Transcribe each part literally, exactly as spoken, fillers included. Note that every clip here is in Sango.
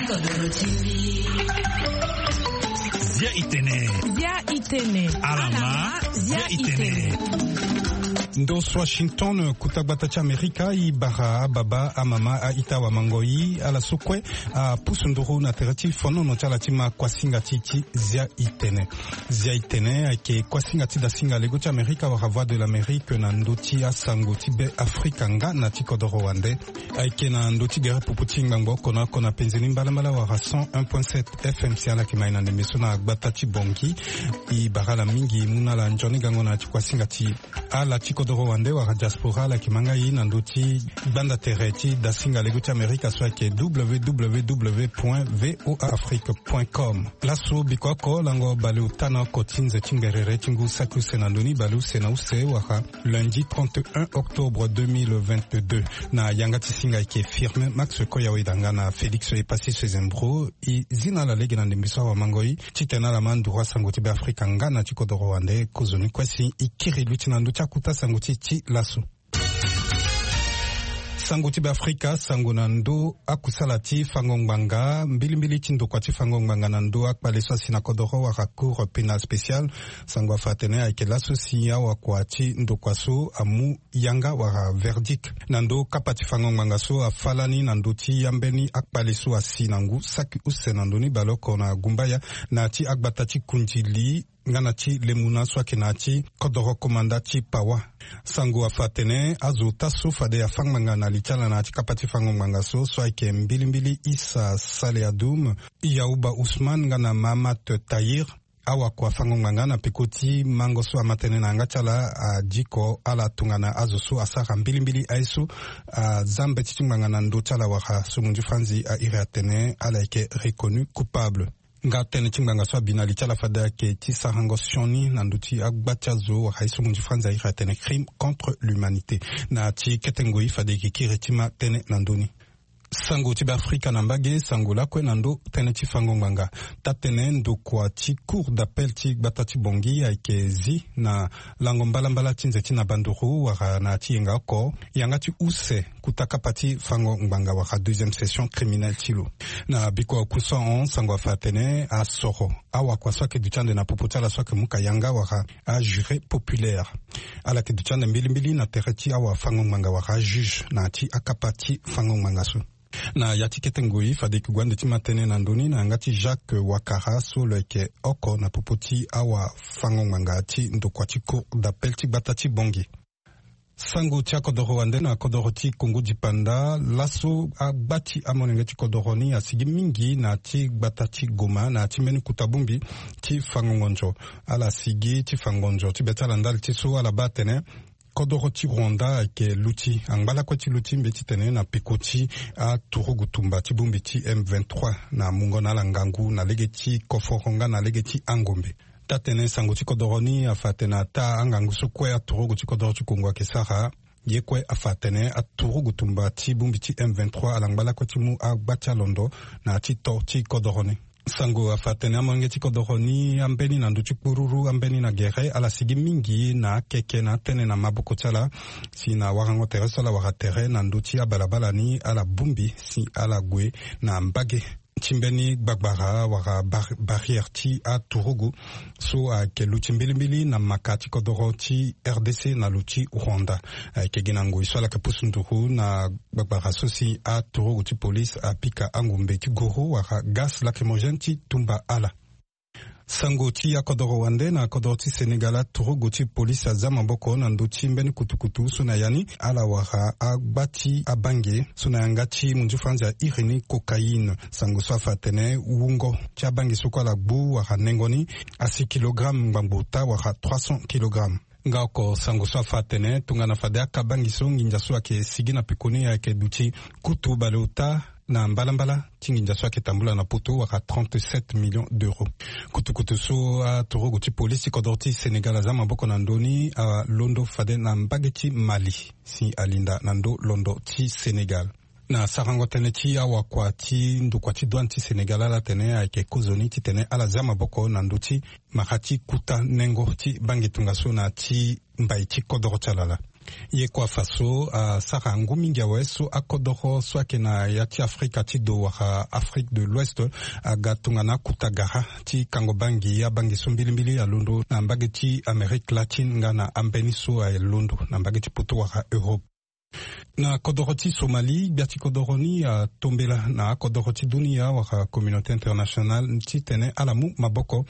Zia itene. Zia itene. Alama. Zia itene. Ndo so Washington, kuta gbata ti Amerika, i bara ababa, amama, a-ita, awamangoi, ala so kue apusu nduru na tere ti fonono ti ala ti ma kuasinga ti ti zia itene. Zia itene ayeke kuasinga ti dasinga lego ti Amerika wala Voix de l'Amérique na ndö ti asango ti Be Afrika nga na ti kodoro wande. Ayeke na ndö ti gere pupu ti ngbangbo oko na oko na penze ni mbalambala wala cent un point sept F M C. Ala yeke ma e na ndembe so na gbata ti Bangui. I bara ala mingi mu na ala nzoni gango na ya ti kuasinga ti ala ti kodoro wande wala diaspora. Ala yeke ma nga e na ndö ti gbanda tere ti dasinga lego ti Amerika so ayeke W W W point V O A Afrique point com. Laso biko oko lango baleota na oko ti nze ti ngberere ti ngu saki use na ndö ni baleuse na use wala lundi trente et un octobre deux mille vingt-deux. Na yanga ti singa ayeke Firmin Max Koyaweda nga na Félix Epassi Sezembro. E zi na ala lege na ndembe so awamangoi titene ala ma nduru asango ti Be Afrika nga na ti kodoro wande. Kozoni kue si e kiri luti na ndö ti akuta sango ti e ti laso. Sango ti Be Afrika, sango na ndö akusala ti fango ngbanga, mbilimbili ti ndokua ti fango ngbanga na ndö akpale so asi na kodoro wala Cour pénale spéciale. Sango afa atene ayeke laso si awakua ti ndokua so amu yanga wala verdict na ndö kapa ti fango ngbanga so afa lani na ndö ti ambeni akpale so asi na ngu saki use na ndö ni baleoko na Gumbaya, na ya ti agbata ti Kundili nga na ti Lemuna so ayeke na ya ti kodoro komanda ti Pawa. Sango afa atene azo ota so fade afa ngbanga na li ti ala na ya ti kapa ti fango ngbanga so, so ayeke mbilimbili Issa Saleh Adoum, Yauba Ousmane nga na Mahamat Tahir. Awakua fango ngbanga na peko ti mango so ama tënë na yanga ti ala, adiko ala tongana azo so asara mbilimbili aye so aza mbeti ti ngbanga na ndö ti ala wala so munzu franzi a iri atene ala yeke reconnu coupable. Nga tënë ti ngbanga so abi na li ti ala fade ayeke ti sarango sioni na ndö ti agba ti azo wala aye so munzu franzi a iri atene crime contre l'humanité. Na ya ti kete ngoi fade e yeke kiri ti ma tënë na ndö ni. Sango ti Be Afrika na mbage, sango lakue na ndö tënë ti fango ngbanga. Taa-tënë ndokua ti Cour d'appel ti gbata ti Bangui ayeke zi na lango mbalambala ti nze ti na banduru wala na ya ti yenga oko, yanga ti use kuta kapa ti fango ngbanga wala deuxième session criminelle ti lo. Na biko akusahon, sango afa atene asoro awakua so ayeke duti ande na popo ti ala so ayeke muka yanga wala ajuré populaire. Ala yeke duti ande mbilimbili na tere ti awafango-ngbanga wala ajuge na ya ti akapa ti fango-ngbanga so. Na ya ti kete ngoi fade e yeke gue ande ti ma tënë na ndö ni na yanga ti Jacques Wakara so lo yeke oko na popo ti awafango-ngbanga ti ndokua ti Cour d'appel ti gbata ti Bangui. Sango ti akodoro wande na kodoro ti Kongo dipanda, laso agba ti amolenge ti kodoro ni asigi mingi na ya ti gbata ti Goma na ya ti mbeni kuta bongbi ti fa ngongonzo. Ala sigi ti fa ngonzo ti be ti ala ndali ti so ala baa atene kodoro ti Rwanda ayeke luti angba lakue ti luti mbeti tene na peko ti aturugu tumba ti bongbi ti M vingt-trois na mungo na ala ngangu na lege ti koforo nga na lege ti angombe. Taa-tënë sango ti kodoro ni afa atene ataa angangu so kue aturugu ti kodoro ti Kongo ayeke sara, ye kue afa atene aturugu tumba ti bongbi ti M vingt-trois ala ngba lakue ti mu agba ti alondo na ya ti to ti kodoro ni. Sango afa atene amolenge ti kodoro ni ambeni na ndö ti kpururu ambeni na gere ala sigi mingi na akeke na atënë na maboko ti ala. Si na warango tere so ala wara tere na ndö ti abalabala ni ala bongbi si ala gue na mbage ti mbeni gbagbara wala bar-, barrière ti aturugu so ayeke luti mbilimbili na maka ti kodoro ti R D C na lo ti Rwanda. Ayeke gi na ngoi so ala yeke pusu nduru na gbagbara so si aturugu ti police apika angombe ti goro wala gaz lacrymogène ti tumba ala. Sango ti akodoro wande na kodoro ti Sénégal, aturugu ti police aza maboko na ndö ti mbeni kutukutu so na ya ni ala wara agba ti abange so na yanga ti munzu franzi a iri ni cocaïne. Sango so afa atene wungo ti abange so kue ala gbu wala nengo ni asi kilogramme ngbangbo ota wala trois cents kilogrammes. Nga oko sango so afa atene tongana fade akabangi so nginza so ayeke sigi na peko ni ayeke duti kutu baleota na mbalambala ti nginza so ayeke tambula na poto wala trente-sept millions d'euros. Kutukutu so aturugu ti polisi ti kodro ti Sénégal aza maboko na ndö ni alondo fade na mbage ti Mali si alinda na ndö londo ti Sénégal. Na sarango tënë ti awakua ti ndokua ti douane ti Sénégal ala tene ayeke kozoni titene ala za maboko na ndö ti mara ti kuta nengo ti bange tongaso na ti mbai ti kodoro ti ala laa. Ye kua faso asara ngu mingi awe so akodoro so ayeke na ya ti Afrika ti do wala Afrique de l'Ouest aga tongana akuta gara ti kango bangi abangi so mbilimbili alondo na mbage ti Amérique latine nga na ambeni so alondo na mbage ti poto wala Europe. Na kodoro ti Somalie, gbia ti kodoro ni atombela na akodoro ti dunia wala communauté internationale titene ala mu maboko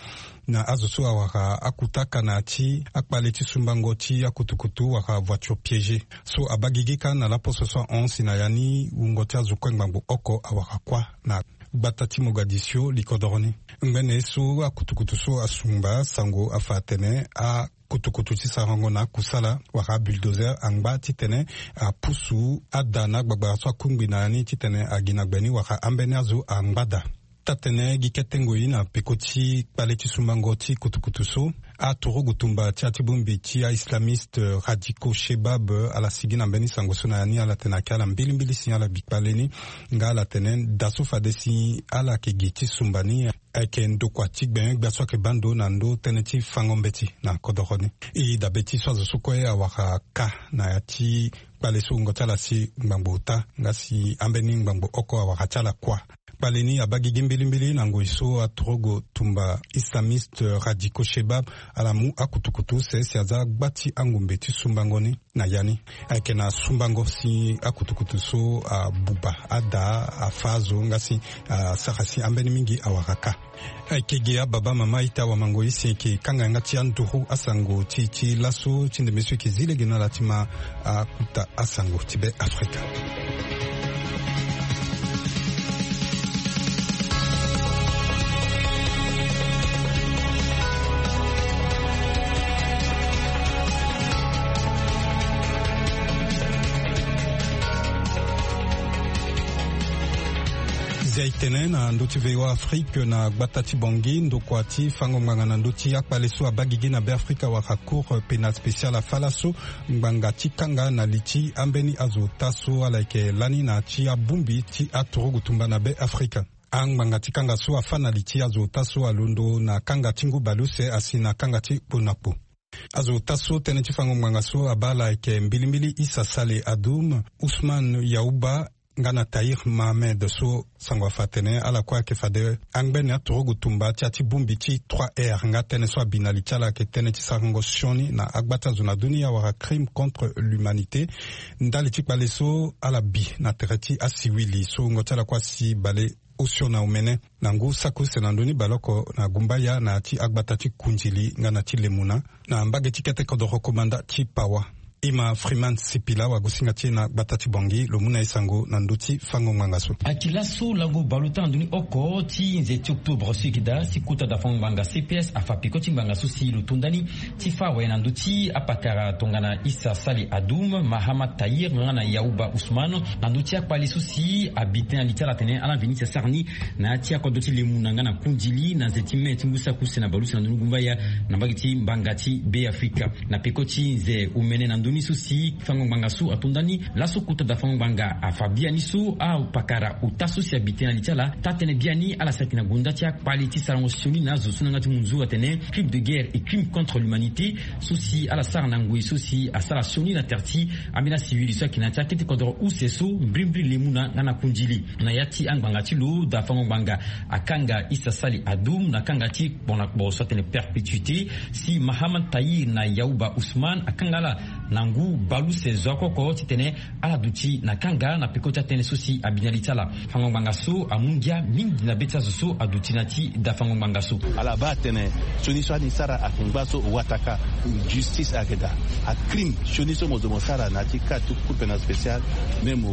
na azo so awara akutaka na ya ti akpale ti sumbango ti akutukutu wala voiture piégée so abaa gigi kâ na laposo so ahon si na ya ni wungo ti azo kue ngbangbo oko awara kuâ na gbata ti Mogadiscio li kodoro ni. Ngbene so akutukutu so asumba sango afa atene a kutukutu ti sarango na akusala wala abulldozer angba titene apusu ada na agbagbara so akungbi na ya ni titene agi na gbe ni wala ambeni azo angba daa. Taa-tene gi kete ngoi na peko ti kpale ti sumbango ti kutukutu so, aturugu tumba ti ya ti bongbi ti aislamiste radicaux Shebab ala sigi na mbeni sango so na ya ni ala tene ayeke ala mbilimbili si ala bi kpale ni. Nga ala tene da so fade si ala yeke gi ti sumba ni ayeke ndokua ti gbengbia so ayeke baa ndo na ndö tënë ti fango mbeti na kodoro ni. E dabe ti so azo so kue awara kâ na ya ti kpale so wungo ti ala si ngbangbo ota nga si ambeni ngbangbo oko awara ti ala kuâ. Kpale ni abaa gigi mbilimbili na ngoi so aturugu tumba islamiste radicaux Shebab ala mu akutukutu use si aza gba ti angumbe ti sumbango ni. Na ya ni ayeke na sumbango si akutukutu so abuba ada, afâ azo nga si asara si ambeni mingi awara kâ. Ayeke gi ababa, mama, ita, wamango, e si e yeke kanga yanga ti anduru asango ti e ti laso ti ndembe so e yeke zi lege na ala ti ma akuta asango ti Be Afrika. Zia e tene na ndö ti V O A Afrique na gbata ti Bangui, ndokua ti fango ngbanga na ndö ti akpale so abaa gigi na Be Afrika wala Cour pénale spéciale afâ laso ngbanga ti kanga na li ti ambeni azo ota so ala yeke lani na ya ti abongbi ti aturugu tumba na Be Afrika. Angbanga ti kanga so afâ na li ti azo ota so alondo na kanga ti ngu baleuse asi na kanga ti kpo na kpo. Azo ota so tënë ti fango ngbanga so abaa ala ayeke mbilimbili Issa Saleh Adoum, Ousmane Yaouba, nga na Tahir Mohamed so sango afa atene ala kue ayeke fade angbene aturugu tumba ti ya ti bongbi ti trois R nga tënë so abi na li ti ala ayeke tënë ti sarango sioni na agba ti azo na dunia wala crime contre l'humanité. Ndali ti kpale so ala bi na tere ti asiwili so wungo ti ala kue asi bale osio na omene na ngu saki use na ndö ni baleoko na gumbaya na ya ti agbata ti Kundili nga na ti Lemuna, na mbage ti kete kodoro komanda ti Pawa. E ma Freeman Sipila, wagosinga ti e na gbata ti Bangui, lo mu na e sango na ndö ti fango ngbanga so. Ayeke laso lango baleota na ndö ni oko ti nze ti octobre so e yeke daa si kota da fango ngbanga C P S afa peko ti ngbanga so si lo to ndani ti fâ awe na ndö ti apakara tongana Issa Saleh Adoum, Mahamat Tahir nga na Yaouba Ousmane, na ndö ti akpale so si abi tënë na li ti ala atene ala veni ti asara ni na ya ti akodro ti Lemuna nga na Kundili na nze ti mai ti ngu saki use na baleuse na ndö ni gumbaya na mbage ti ngbanga ti Be Afrika. Na peko ti nze omene na ndö ni so si fango ngbanga so ato ndani laso kota da fango ngbanga afa biani so apakara ota so si abi tënë na li ti ala taa-tënë biani ala saki na gonda ti akpale ti sarango sioni na azo so na yanga ti mu nzoni atene crime de guerre et crime contre l'humanité, so si ala sara na ngoi so si asara sioni na tere ti ambeni asiwili so ayeke na ya ti akete kodoro use so mbrimbri Lemuna nga na Kundili. Na ya ti angbanga ti lo, da fango ngbanga akanga Issa Saleh Adoum na kanga ti kpo na kpo so atene perpétuité, si Mahamat Tahir na Yaouba Ousmane akanga ala na ngu baleuse zo oko oko titene ala duti na kanga na peko ti atënë so si abi na li ti ala. Fango ngbanga so amu ngia mingi na be ti azo so aduti na ya ti da fango ngbanga so. Ala baa atene sioni so ani sara ayeke ngba so wataka, justice ayeke daa. Acrime sioni so mo zo mo sara na ya ti ka ti Cour pénale spéciale, même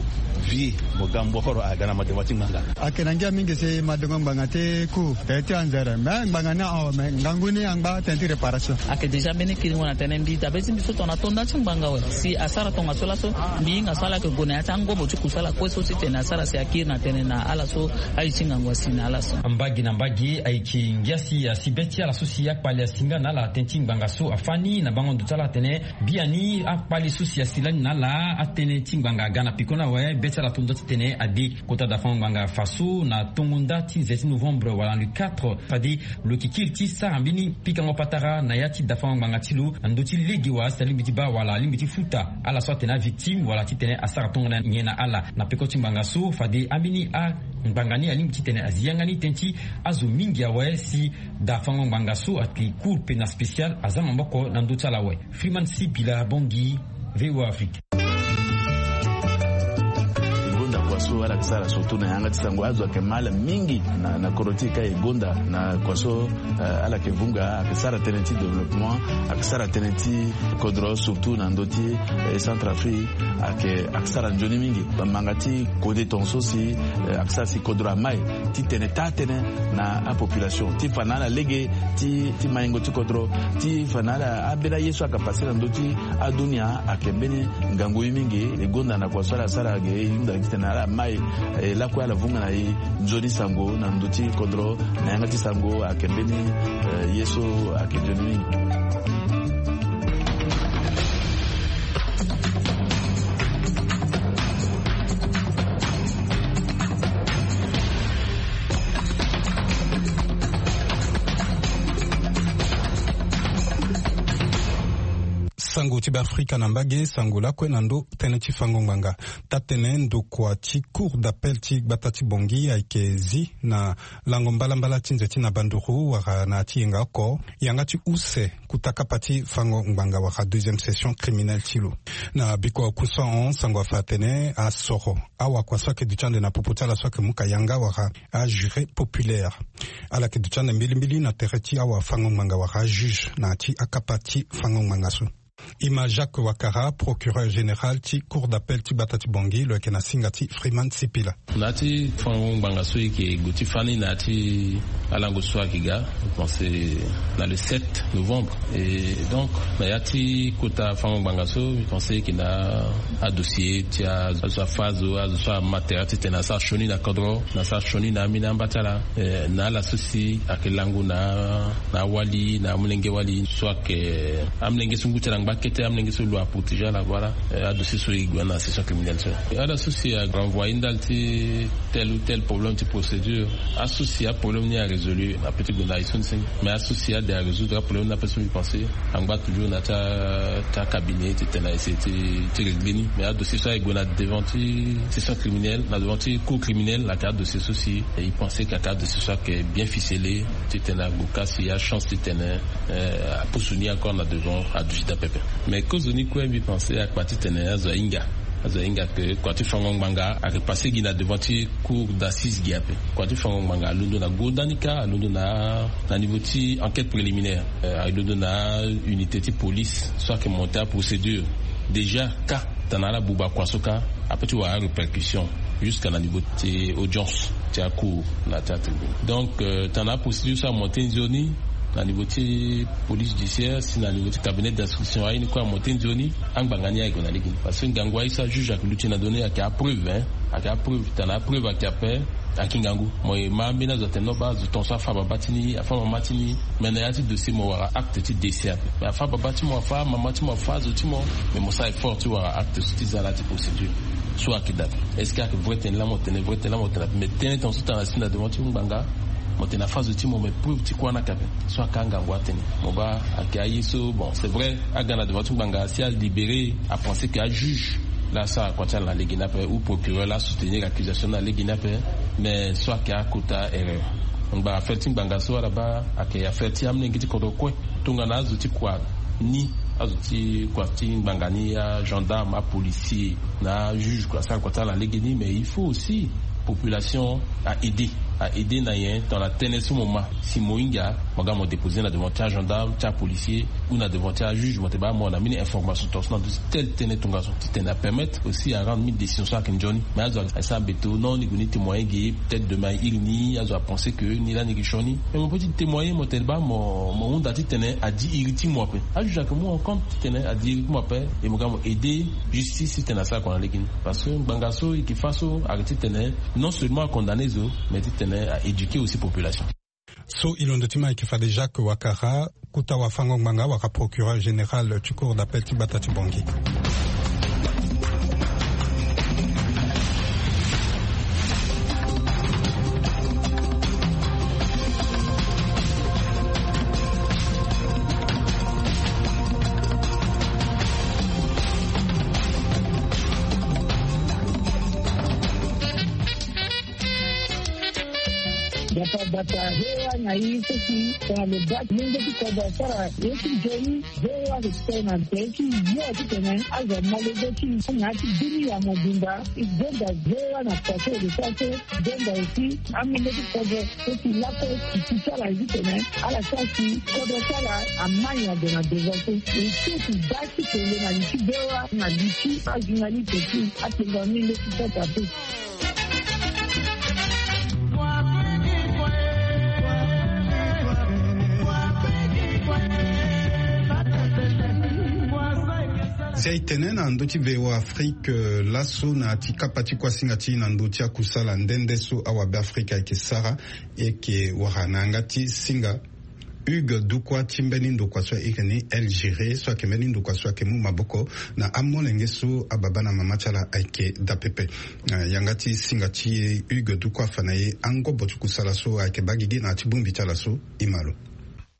vie mo ga mokoro aga na madengo ti ngbanga. Ayeke na ngia mingi si madengo ngbanga ti Cour, eh, ti anzere. Me ngbanga ni ahon, me ngangu ni angba tënë ti réparation. Ayeke déjà mbeni kiringo na tënë mbi dabe ti mbi so tongana to nda ti ngbanga awe si asara tongaso laso. Mbi hinga so ala yeke gue na ya ti angobo ti kusala kue so titene asara si akiri na tënë na ala so aye ti ngangu asi na ala so. Mbage na mbage ayeke ngia si asi be ti ala so si akpale asi nga na ala tënë ti ngbanga so afâ ni na bango ndo ti ala atene biani akpale so si asi lani na ala atënë ti ngbanga aga na peko ni awe be ti ala to nda titene ade. Kota da fango ngbanga afa so na tongo nda ti nze ti novembre wala le quatre fade lo yeke kiri ti sara mbeni pikango patara na ya ti da fango ngbanga ti lo na ndö ti lege wa asi na lingbi ti baa wala Alingbi ti futa ala so atene avictime wala titene asara tongana nyen na ala. Na peko ti ngbanga so fade ambeni angbanga ni alingbi titene azi yanga ni tënë ti azo mingi awe si daa fango ngbanga so ayeke cour pénal spécial aza maboko na ndö ti ala awe. Freeman Sibila Bongi, VOA Afrique. Gonda kua so ala yeke sara surtout na yanga ti sango azo ayeke mal mingi na, na kodro ti e ka e gonda na kua so. Eh, ala yeke vunga ayeke sara tënë ti développement, ayeke sara tënë ti kodro surtout na ndö ti, eh, Centrafrique. Ayeke, ayeke sara nzoni mingi bamanga ti kode tongaso si, eh, ayeke sara si kodro amai ti tene taa tënë na apopulation ti fa na ala lege ti, ti maingo ti kodro ti fa na ala ambeni aye so ayeke pase na ndö ti adunia ayeke mbeni ngangu ye mingi. E gonda na kua so ala sara ge e hunda titene ala mai, eh, lakue ala vunga na e nzoni sango na ndö ti kodro na yanga ti sango ayeke mbeni, eh, ye so ayeke nzoni mingi. Sango ti Beafrika na mbage, sango lakue na ndö tënë ti fango ngbanga. Taa-tënë ndokua ti Cour d'appel ti gbata ti Bangui ayeke zi na lango mbalambala ti nze ti na banduru wala na ya ti yenga oko yanga ti use kota kapa ti fango ngbanga wala deuxième session criminelle ti lo. Na bikua oku so ahon sango afa atene asoro awakua so ayeke duti ande na popo ti ala so ayeke mu ka yanga wala ajuré populaire. Ala yeke duti ande mbilimbili na tere ti awafango ngbanga wala ajuge na ya ti akapa ti fango ngbanga so. E ma Jacques Ouattara, procureur général ti Cour d'appel ti gbata ti Bangui, lo yeke na singa ti Freeman Sipila. Na ya ti fango ngbanga so e yeke gue ti fâ ni na ya ti alango so ayeke ga, je pense na le sept novembre. Et donc na ya ti kota fango ngbanga so, je pense e yeke na adossier ti azo so afâ azo, azo so ama tere titene asara sioni na kodro, na asara sioni na ambeni amba ti ala. Eh, na ala so si ayeke lango na na awali na amolenge wali so ayeke amolenge so ngu ti ala ngba kete, amolenge so lo aprotéger ala, voilà. Eh, adossier so e gue na session criminelle so, ala so si arenvoyer ndali ti tel ou tel problème ti procédure. Aso si aproblème ni arésolu, apeut ti gue na e so ni si. Mais aso si ade arésoudre aproblème ni ape so, mbi pense angba toujours na ya ti a, ti acabinet titene a essayer ti, ti régler ni. Mais adossier so aye gue na devant ti session criminelle, na devant ti cour criminelle, ayeke adossier so si e pense que ayeke adossier so ayeke bien ficelé, titene ague ka si achance titene, eh, apusu ni encore na devant aduti daa pepe. Mais kozo ni kue, mbi pense akpa titene azo ahinga, azo ahinga que kua ti fango ngbanga ayeke passé gi na devant ti cour d'assises gi ape. Kua ti fango ngbanga alondo na gonda ni kâ, alondo na, na niveau ti enquête préliminaire. Eh, alondo na unité ti police so ayeke monter aprocédure déjà kâ. Tana ala buba kua so kâ, apeut ti wara arépercussion jusqu'à na niveau ti audience ti acour na ti atribunal. Donc, euh, tana aprocédure so amonter nzoni na niveau ti police judiciaire si na niveau ti cabinet d'instruction aye ni kue amonter nzoni, angbanga ni aye gue na lege ni. Parce que ngangu aye so ajuge ayeke luti na ndö ni ayeke apreuve, hein. Ayeke apreuve, tana apreuve ayeke ape. Ayeke ngangu. Mo ye ma ambeni azo atene non, baa azo tongaso afâ baba ti ni, afâ mama ti ni. Mais na ya ti dossier mo wara acte ti décès ape. Mais afâ baba ti mo, afâ mama ti mo, afâ azo ti mo. Mais mo sara effort ti wara acte so ti za la ti procédure so ayeke daa ape. Est-ce que ayeke vrai tënë laa mo tene, vrai tënë laa mo tene ape? Mais tënë tongaso tana si na devant ti ngbanga, mo tene afâ azo ti mo, mais preuve ti kuâ ni ayeke ape. So ayeke angangu atene. Mo baa ayeke aye so, bon, c'est vrai, aga na devant ti ngbanga si alibéré, apenser que ajuge laa asara kua ti ala na lege ni ape, ou procureur laa asoutenir accusation ni na lege ni ape. Mais so ayeke akota erreur. Ngbanga, affaire ti ngbanga so ala baa ayeke affaire ti amolenge ti kodro kue. Tongana azo ti kua ni, azo ti kua ti ngbanga ni, agendarme, apolicier na ajuge kue asara kua ti ala na lege ni, mais il faut aussi population a aider, a aider na nyen? Tongana tënë so mo ma si mo hinga, mo ga mo déposer na devant ti agendarme, ti apolicier, ou na devant ti ajuge, mo tene baa mo na mbeni information tongaso na ndö ti telle tënë tongaso, titene apermettre aussi arendre mbeni décision so ayeke nzoni. Mais azo asara beto, non, ni gue ni témoigner ge, peut-être demain airi ni, azo apenser que ni laa ni yeke sioni. Mais mo peut ti témoigner, mo tene baa mo, mo hunda titene adi iri ti mo ape. Ajuge ayeke mu en compte titene adi iri ti mo ape, et mo ga mo aider justice titene asara kua na lege ni. Parce que ngbanga so e yeke fâ so ayeke titene non seulement acondamner zo, mais titene a éduquer aussi population. So e londo ti ma ayeke fade Jacques Ouattara, kota wafango ngbanga wala procureur général ti cour d'appel ti gbata ti Bangui. Bata bata ve wa na i so si tongana lo baa ti lenge ti kodro asara ye ti nzoni. Ve wa lo ti tene na nze ti yo ti tene azo amolenge ti na ya ti bini ya mobimba. I zonza ve wa na kua so e lo sara so. I zonza aussi amolenge ti kodro so si lako ti ti sara ye ti tene ala sara si kodro ti ala amai na ndo na devant so. E so ti baa ti tene na li ti ve wa na li ti ajournaliste ti atengua mingi ti santa pe. Zia e tene na ndö ti V O A Afrique, euh, laso na ya ti kapa ti kuasinga ti e na ndö ti akusala nde nde so awabe Afrika ayeke sara, e yeke wara na yanga ti singa Hugues Dukwa ti mbeni ndokua so a iri ni El Giré, so ayeke mbeni ndokua so ayeke mu maboko na amolenge so ababa na mama ti ala ayeke daa pepe. Na yanga ti singa ti e, Hugues Dukwa afa na e angobo ti kusala so ayeke baa gigi na ya ti bongbi ti ala so. E ma lo.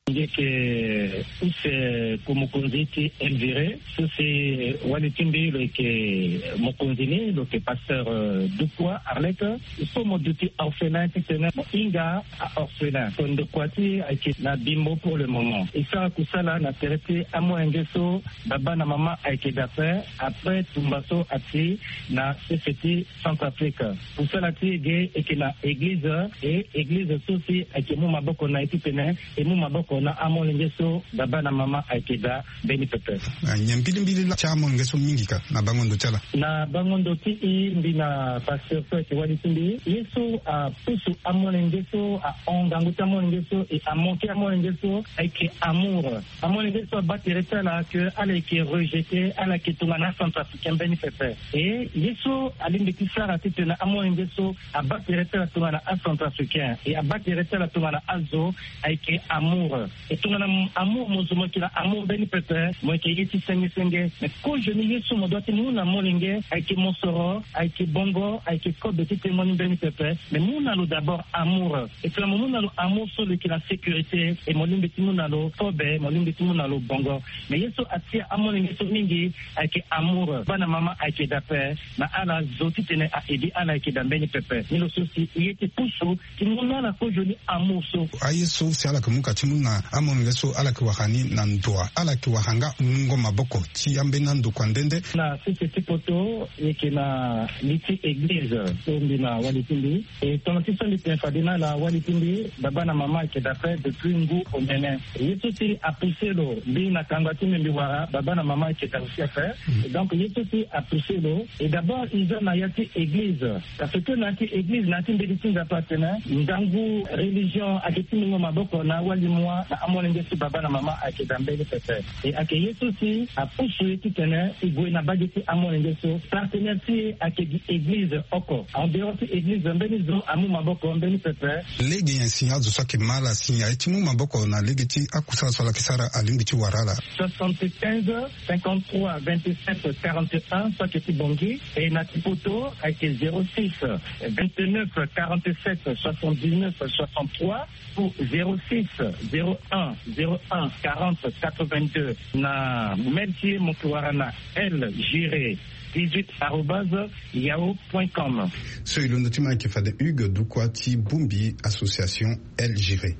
Nge yeke use ku mokonzi ti El Giré so si wali ti mbi lo yeke mokonzi ni, lo yeke pasteur, euh, Dukwa Arlette. So mo duti orphelin titene mo hinga a-orphelin. So ndokua ti e ayeke na Bimbo pour le moment. E sara kusala na tere ti amolenge so baba na mama ayeke daa ape, après tumba so ati na sese ti Centrafrique. Kusala ti e ge e yeke na église, e église so si ayeke mu maboko na e titene e mu maboko na amolenge so baba na mama ayeke daa mbeni pepe. Ah, nyen mbilimbili laa ti amolenge so mingi ka na bango ndo ti ala? Na bango ndo ti e, mbi na pasteur so ayeke wali ti mbi, ye so apusu amolenge so, ahon ngangu ti amolenge so, e amanke amolenge so ayeke amour. Amolenge so abaa tere ti ala ke ala yeke rejeté, ala yeke tongana acentrafricain mbeni pepe. E ye so alingbi ti sara titene amolenge so abaa tere ti ala tongana acentrafricain, e abaa tere ti ala tongana azo, ayeke amour. E tongana m-, amour mo zo mo yeke na amour mbeni pepe, mo yeke ye ti senge senge. Mais kozoni ye so mo doit ti mu na molenge ayeke mosoro, ayeke bongo, ayeke kobe ti tene mo ni mbeni pepe. Mais mu na lo d'abord amour. E tongana mo mu na lo amour so lo yeke na sécurité, e mo lingbi ti mu na lo kobe, mo lingbi ti mu na lo bongo. Mais ye so atia amolenge so mingi ayeke amour. Baba na mama ayeke daa ape, na ala zo titene a-aider ala ayeke daa mbeni pepe. Ni lo so si e ye ti pusu ti mu na ala kozoni amour so. Aye so si ala yeke mu ka ti mu na amolenge so ala yeke wara ni na ndoa, ala yeke wara nga mungo maboko ti ambeni andokua nde nde. Na sese ti poto, e yeke na li ti église so mbi na wali ti mbi. E tongana ti so mbi tene fade na ala, wali ti mbi, baba na mama ayeke daa ape depuis ngu omene. Ye so si apoussé lo, mbi na kangba ti mbi mbi wara baba na mama ayeke daa aussi ape. Mm. Et donc ye so si apoussé lo, et d'abord e za na ya ti église. Parce que na ya ti église, na ya ti mbeti ti Nzapa atene ngangu religion ayeke ti mungo maboko na awali mua na amolenge so baba na mama ayeke daa mbeni pepe. E ayeke ye so si apusu e titene e gue na mbage ti amolenge so. Partenaire ti e ayeke gi église oko. En dehors ti église, mbeni zo amu maboko mbeni pepe. Lege nyen si azo so ayeke ma ala si aye ti mu maboko na lege ti akusala so ala yeke sara alingbi ti wara ala? Soixante-quinze, cinquante-trois, vingt-sept, quarante et un, so ayeke ti Bangui. E na ti poto ayeke zéro six, vingt-neuf, quarante-sept, soixante-dix-neuf, soixante-trois. Ou zéro six, zéro un, zéro un, quarante, quatre-vingt-deux. Na mail ti e mo yeke wara na L Giré dix-huit arobase yahoo point com. So e londo ti ma ayeke fade Hugues Dukwa ti bongbi association El Giré.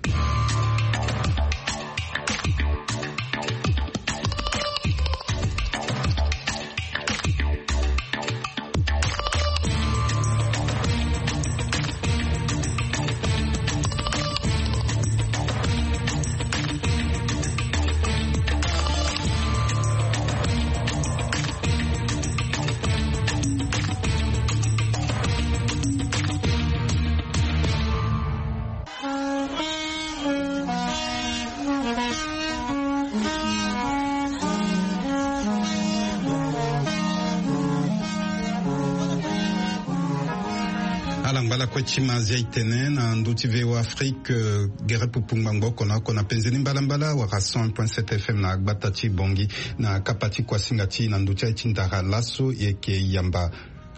Ala ngba lakue ti ma zia e tene na ndö ti V O A Afrique, euh, gere pupu ngbangbo oko na oko na penze ni mbalambala wala cent un point sept F M na gbata ti Bangui. Na kapa ti kuasinga ti e na ndö ti aye ti ndara laso e yeke yamba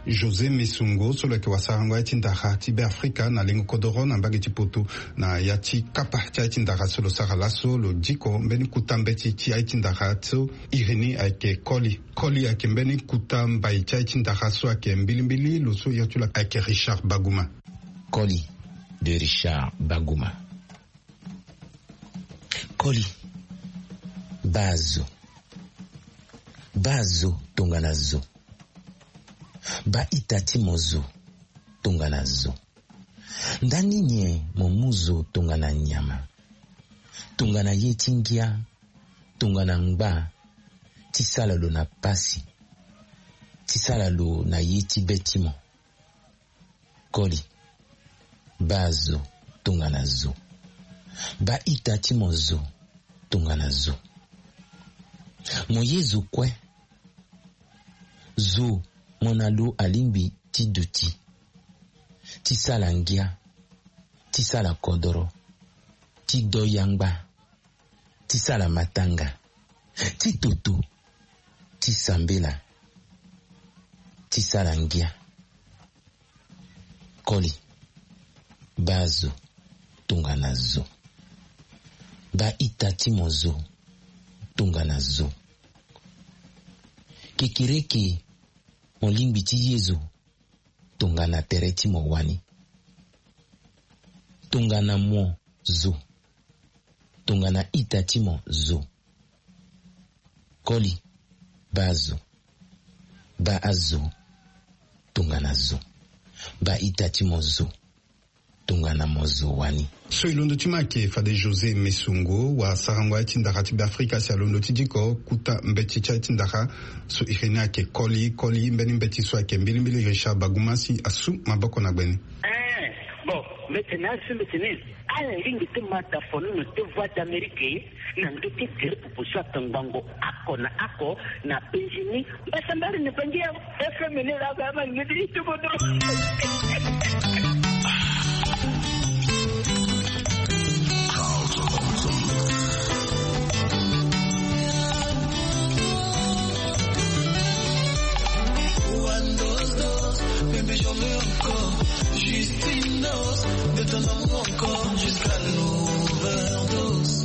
José Messungo so lo yeke wasarango aye ti ndara ti Beafrika na lengo kodoro na mbage ti poto. Na ya ti kapa ti aye ti ndara so lo sara laso, lo diko mbeni kuta mbeti ti aye ti ndara so iri ni ayeke koli. Koli ayeke mbeni kuta mbai ti aye ti ndara so ayeke mbilimbili. Lo so ya ti lo ayeke Richard Baguma. Koli. de Richard Baguma. Koli, baa zo. Baa zo tongana zo. Baa ita ti mo zo tongana zo. Ndani nyen mo mu zo tongana nyama, tongana ye ti ngia, tongana ngba, ti sala lo na pasi, ti sala lo na ye ti be ti mo? Koli, baa zo tongana zo. Baa ita ti mo zo tongana zo. Mo ye zo kue. Zo mo na lo alingbi ti duti, ti sala ngia, ti sala kodoro, ti do yangba, ti sala matanga, ti toto, ti sambela, ti sala ngia. Koli, baa zo tongana zo. Baa ita ti mo zo tongana zo. Kekereke, mo lingbi ti ye zo tongana tere ti mo wani, tongana mo zo, tongana ita ti mo zo. Koli, baa zo. Baa azo tongana zo. Baa ita ti mo zo tongana mo zo wani. So e londo ti ma ayeke fade José Mesongo, wa sarango aye ti ndara ti Beafrika si alondo ti diko kuta mbeti ti aye ti ndara. So e reni ayeke Koli. Koli, mbeni mbeti so ayeke mbilimbili Richard Baguma si asu maboko na gbene. Eh, bon, mbeti na asu mbeti ni. Ala lingbi ti ma da fono na te Voix d'Amérique na ndö ti tere popo so atongbango oko na oko na penzi ni. Mbasambari na penzi ya F M ni la ba ma ni ti tuko do. One dose, dose, baby, j'en veux encore. Juste une dose de ton amour encore. Jusqu'à l'overdose.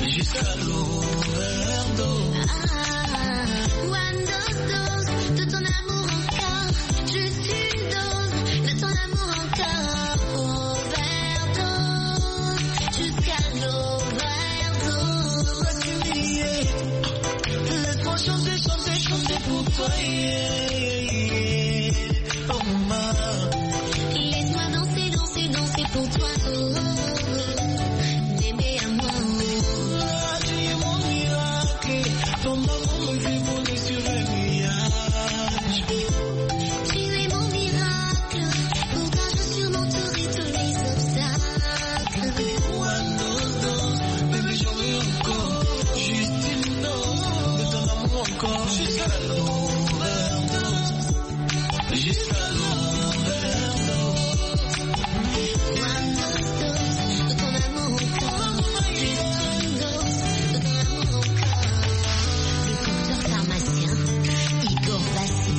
Jusqu'à l'overdose. Ah, one dose, dose de ton amour encore. Juste une dose de ton amour encore. Overdose. Jusqu'à l'overdose. Laisse-moi chanter, chanter, chanter pour toi, yeah, yeah, yeah. Oh, maman. Laisse-moi danser, danser, danser pour toi, oh, oh, oh. Bébé à moi, oh. Ah, tu es mon miracle. Ton amour me fait voler sur un nuage. Tu es mon miracle. Pour toi, je surmonterai tous les obstacles. One dose, dose, baby, j'en veux encore. Juste une dose de ton amour encore. Jusqu'à l'overdose. Jusqu'à l'overdose. One dose, dose de ton amour encore. Juste une dose de ton amour encore. Le docteur pharmacien, Igor Vassy.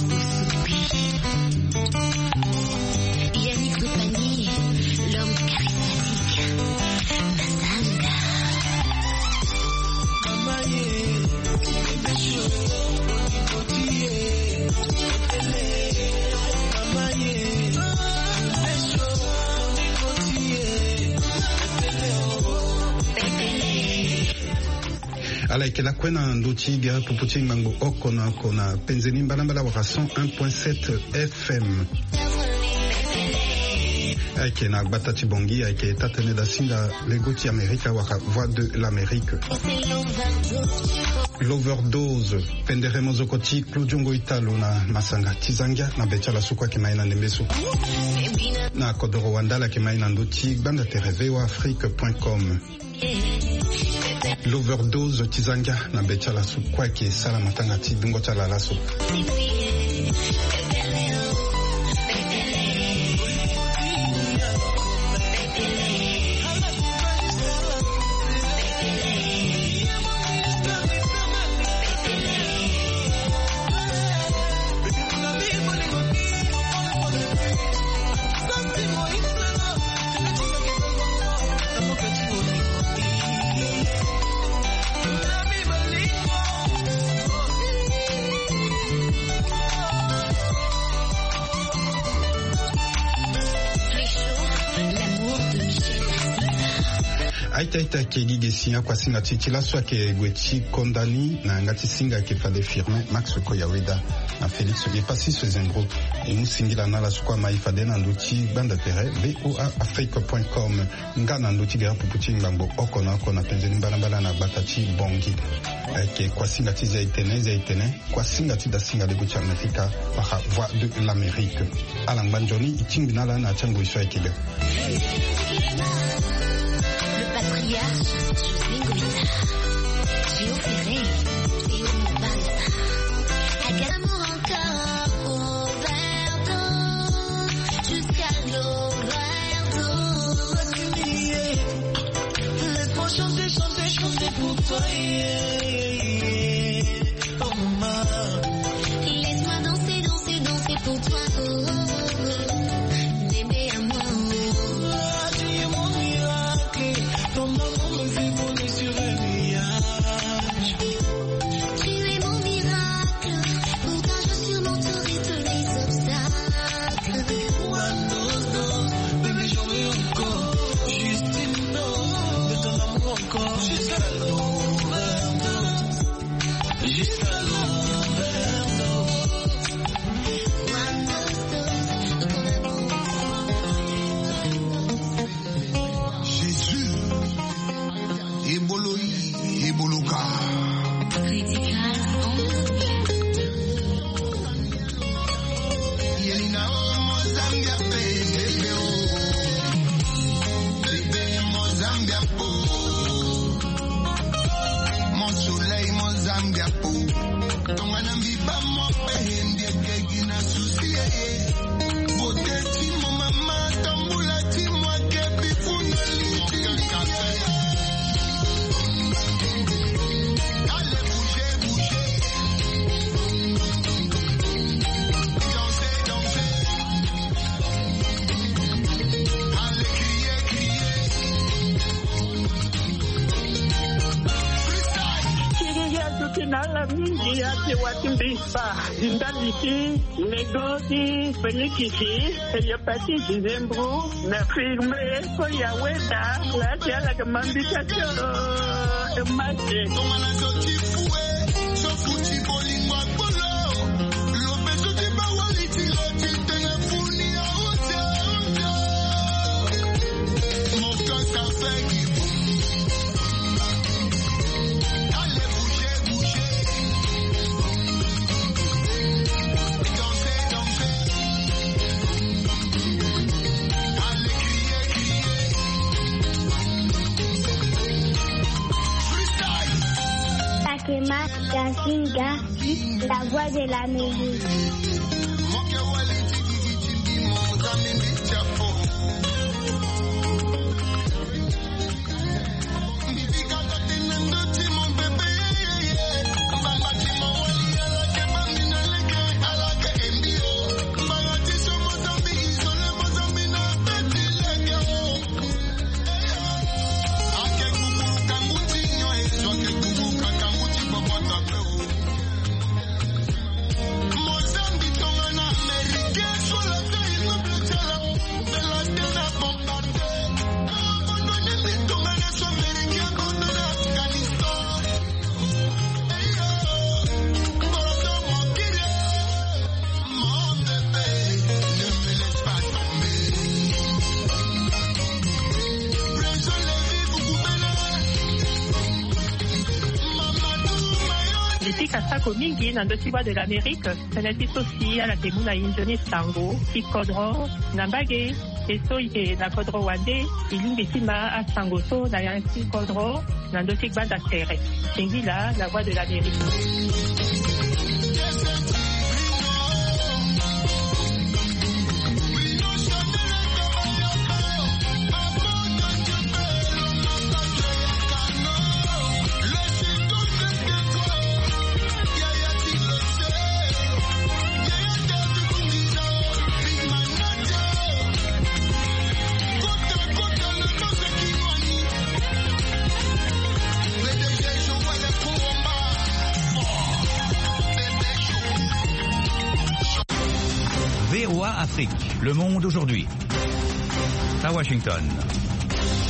Yannick Sopani, l'homme charismatique. Masanga. Ala yeke lakue na ndö ti gere popo ti ngbangbo oko na oko na penze ni mbalambala wala cent un point sept F M. Ayeke na gbata ti Bangui, ayeke taa-tënë dasinga lego ti Amerika wala Voix de l'Amérique. L'overdose, pendere mozoko ti Claudio Ngoitalo na masanga ti zangia na be ti ala so kue ayeke ma ye na ndembe so. Na kodoro wanda ala yeke ma ye na ndö ti gbanda tere V O A Afrique point com. L'overdose ti zangia na be ti ala so kue ayeke sara matanga ti dungo ti ala laso. Aita aita ayeke gi ge si akuasinga ti e ti laso ayeke gue ti konda ni na yanga ti singa ayeke fade Firmin Max Koyaweda na Félix Epassis Zembro. E mu singila na ala so kue ama e fade na ndö ti gbanda tere V O A Afrique point com. Nga na ndö ti gere pupu ti ngbangbo oko na oko na penze ni mbalambala na gbata ti Bangui. Ayeke kuasinga ti zia etene zia etene. Kuasinga ti dasinga lego ti Amerika wala Voix de l'Amérique. Ala ngba nzoni e tingbi na ala na ya ti angoi so ayeke be. Le patriarche José Ngomina, Géo Ferré, Théo Mobala. Amour encore overdose, jusqu'à l'overdose. Laisse-moi chanter, chanter, chanter pour toi, yeah, yeah, yeah. Oh, maman. Laisse-moi danser, danser, danser pour toi, oh, oh, oh, oh. Bébé à moi, oh. Ah, tu es mon miracle. Ton amour me fait voler sur un nuage. Tu es mon miracle. Pour toi, je surmonterai tous les obstacles. One dose, dose, bébé, j'en veux encore. Juste une dose de ton amour encore. Jusqu'à l'overdose. Jusqu'à l'overdose. One dose, dose de ton amour. Jésus, ebolo yi, ebolo ka. Critical. Yelina o Mozambia pe, bébé o. Bébé Mozambia po. Mon soleil Mozambia po. Tongana mbi baa mo pe, mbi eke gi na souci, eh, eh. Beauté ti mo mama, tambula ti mo ake bifuna liti. Allez, bougez, bougez. Dansez, dansez. Allez, criez, criez. Freestyle. Chérie, azoki na ala mingi, ake wati mbi. Ba, Zinda Liti, Nego ti Felikisi, Eliopati Dizembro, na Firme, Koya Weda, Lati ala ke mambika tio, Emate. Tongana zo ti fue, so futi bolingo akpolo, lobe so ti bawali ti lo ti tene funi a ote, ote. Mon cœur ça fait du boum. Allez, bougez, bougez. Dansez, dansez. Allez, criez, criez. Freestyle. Takema Gazinga, la voix de l'Amérique. Ti pika sako mingi na ndö ti Voix de l'Amérique, tënë ti so si ala yeke mu na e nzoni sango ti kodro na mbage. E so e yeke na kodro wande, e lingbi ti ma asango so na ya ti kodro na ndö ti gbanda tere. Singila, la voix de l'Amérique. V O A Afrique, le monde aujourd'hui. À Washington.